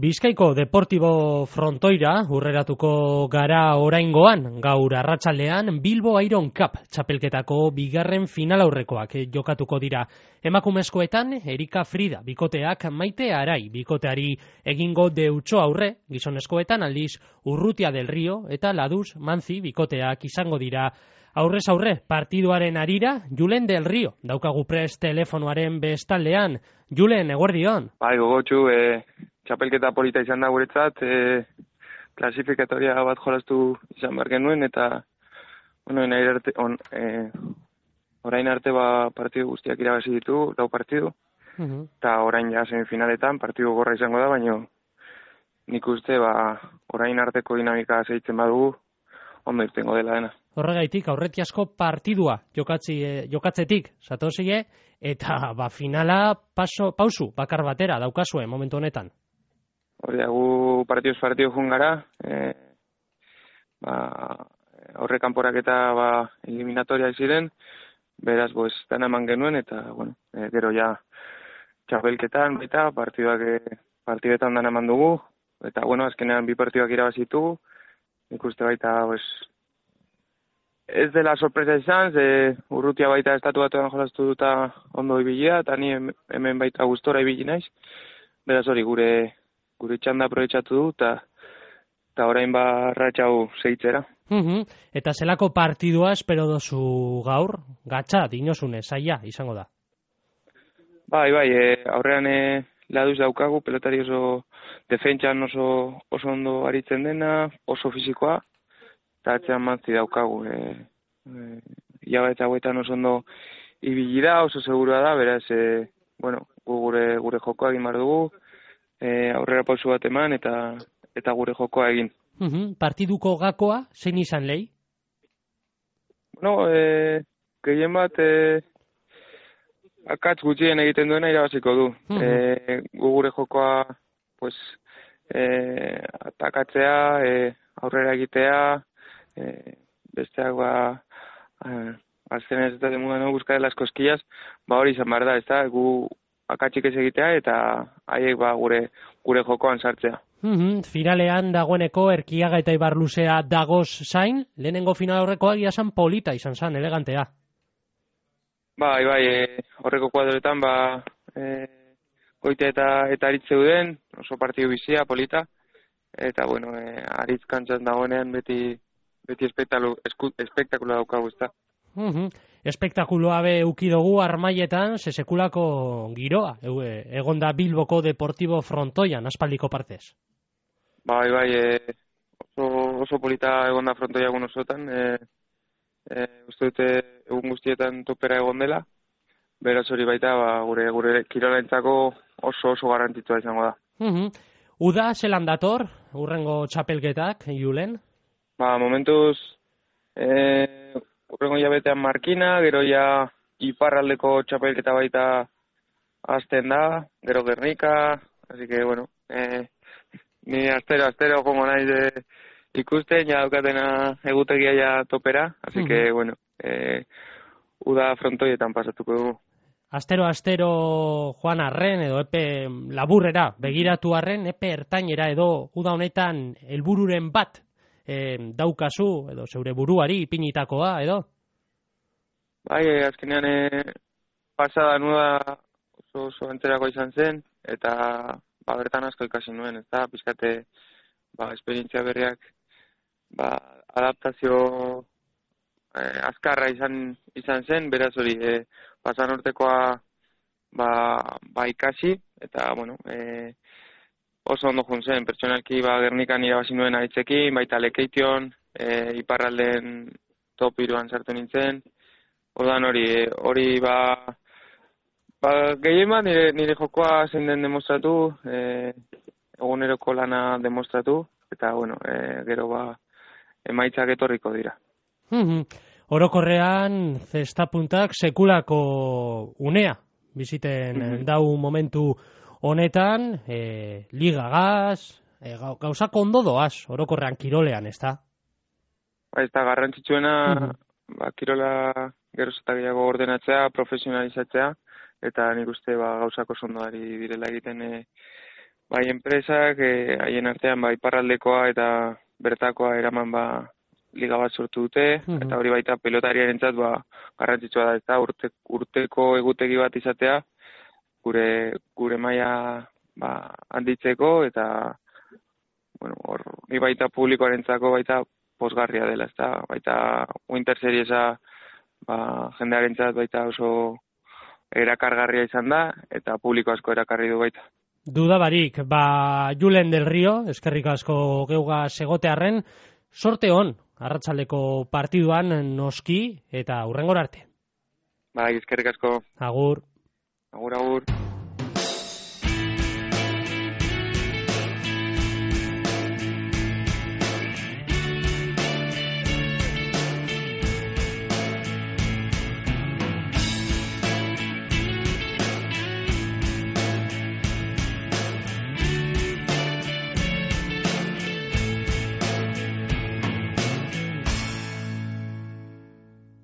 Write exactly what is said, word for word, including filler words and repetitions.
Bizkaiko Deportibo frontoira hurreratuko gara oraingoan, gaur arratsaldean Bilbo Iron Cup txapelketako bigarren finalaurrekoak jokatuko dira. Emakumezkoetan Erika Frida bikoteak Maite Arai bikoteari egingo deutso aurre, gizonezkoetan aldiz Urrutia del Rio eta Laduz Manzi bikoteak izango dira. Aurrez aurre, partiduaren arira, Julen del Rio, daukagu prest telefonoaren bestaldean. Julen, eguerdion. Bai, gogotxu, e, txapelketa polita izan da guretzat, e, klasifikatoria bat jolastu izan behar genuen, eta bueno, arte, on, e, orain arte ba, partidu guztiak irabazi ditu, lau partidu, uh-huh. eta orain ja semifinaletan partidu gorra izango da, baina nik uste ba, orain arteko dinamika zeitzen badugu, ondo irtengo dela dena. Horregaitik, aurretiazko partidua jokatzi, eh, jokatzetik, zatozie, eta ba, finala paso, pausu bakar batera daukazue momentu honetan. Hori da, gu partiduz partidu jun gara, e, ba, aurre kanporak eta ba, eliminatoria ziren, beraz, boz, dana eman genuen, eta, bueno, e, gero ja txapelketan, baita, partiduak, e, partidetan dana eman dugu, eta, bueno, azkenean bi partiduak irabazitugu, ikuste baita, pues, ez dela sorpresa izan, ze Urrutia baita estatu batuan jolastu duta ondo ibilia, eta ni hemen baita gustora ibili naiz. Beraz hori, gure gure txanda aprobetxatu du, eta eta orain ba ratxau segitzera. Uh-huh. Eta zelako partidua espero dozu gaur? Gatza, dinosune, saia izango da. Bai, bai, e, aurrean e, Laduz daukagu, pelotari oso defentsan oso, oso ondo aritzen dena, oso fisikoa, eta atzean Manzi daukagu. E, e, Iabetza hauetan oso ondo ibili da, oso segurua da, beraz, e, bueno, gu gure, gure jokoa egin behar dugu, e, aurrera pausu bat eman, eta eta gure jokoa egin. Uh-huh. Partiduko gakoa, zein izan lehi? Bueno, e, gehien bat, e, akatz gutxien egiten duena irabaziko du. Uh-huh. E, gu gure jokoa, pues, e, atakatzea, e, aurrera egitea, e, besteak ba, e, azkenez eta demudan no, buscar las cosquillas, ba hori izan behar da, ez da, gu akatzik ez egitea, eta haiek ba gure, gure jokoan sartzea. Uh-huh. Finalean dagoeneko Erkiaga eta Ibarluzea dagoz zain, lehenengo final horrekoa giasan polita izan zan, elegantea. Bai, bai, e, horreko kuadroetan, ba, e, goite eta, eta aritz zeuden, oso partidu bizia, polita, eta, bueno, e, aritz kantzan dagoenean beti, beti espektakula daukagu, ezta. Uh-huh. Espektakuloa be ukidogu armaietan, sesekulako giroa, e, egon da Bilboko Deportibo frontoian, aspaldiko partez. Bai, bai, e, oso, oso polita egon da frontoia egun osotan, e, E, uste dute egun guztietan topera egon dela, beraz hori baita ba, gure gure kirolentzako oso oso garrantzitsua izango da. Uh-huh. Uda zelan dator, urrengo txapelketak, Julen? Ba, momentuz, e, urrengo jabetean Markina, gero ja iparraldeko txapelketa baita hasten da, gero Gernika, así que, bueno, e, ni astero, astero, como naiz de ikusten, ja daukatena egutegia ja topera, así uh-huh. que, bueno, eh, uda frontoietan pasatuko dugu. Astero, astero joan arren, edo epe laburrera, begiratu arren, epe ertainera, edo uda honetan helbururen bat eh, daukazu, edo zeure buruari ipinitakoa, edo? Bai, eh, azkenean eh, pasada nuda oso, oso enterako izan zen, eta ba, bertan asko ikasi nuen, ez da, pizkate ba, esperientzia berriak ba, adaptazio eh, azkarra izan izan zen, beraz hori eh, pasan urtekoa ba, ba ikasi, eta bueno, eh, oso ondo jun zen, pertsonalki ba, Gernikan irabazi nuen aitzekin, baita Lekeition, eh, iparralden top iruan sartu nintzen, ordan hori, eh, hori ba, ba gehien bat nire, nire jokoa zein den demostratu, eh, eguneroko lana demostratu, eta bueno, eh, gero ba, emaitzak etorriko dira. Mm-hmm. Orokorrean, zestapuntak sekulako unea biziten mm-hmm. dau momentu honetan, e, ligagaz, e, gauzak ondo doaz, orokorrean kirolean, ez da? Ba, ez da, garrantzitsuena, mm-hmm. ba, kirola geroz eta gehiago ordenatzea, profesionalizatzea, eta nik uste ba, gauzako sondoari direla egiten e, bai enpresak eh, haien artean bai iparraldekoa eta bertakoa eraman ba liga bat sortu dute, Mhm. eta hori baita pelotariarentzat ba garrantzitsua da, eta urte, urteko egutegi bat izatea gure gure maila ba handitzeko eta bueno, hor ni baita publikoarentzako baita posgarria dela, ezta? Baita Winter Seriesa ba jendearentzat baita oso erakargarria izan da eta publiko asko erakarri du baita. Duda barik, ba Julen del Rio, eskerrik asko geuga segotearren, sorte on, arratsaldeko partiduan noski eta hurrengora arte. Bai, eskerrik asko. Agur. Agur, agur.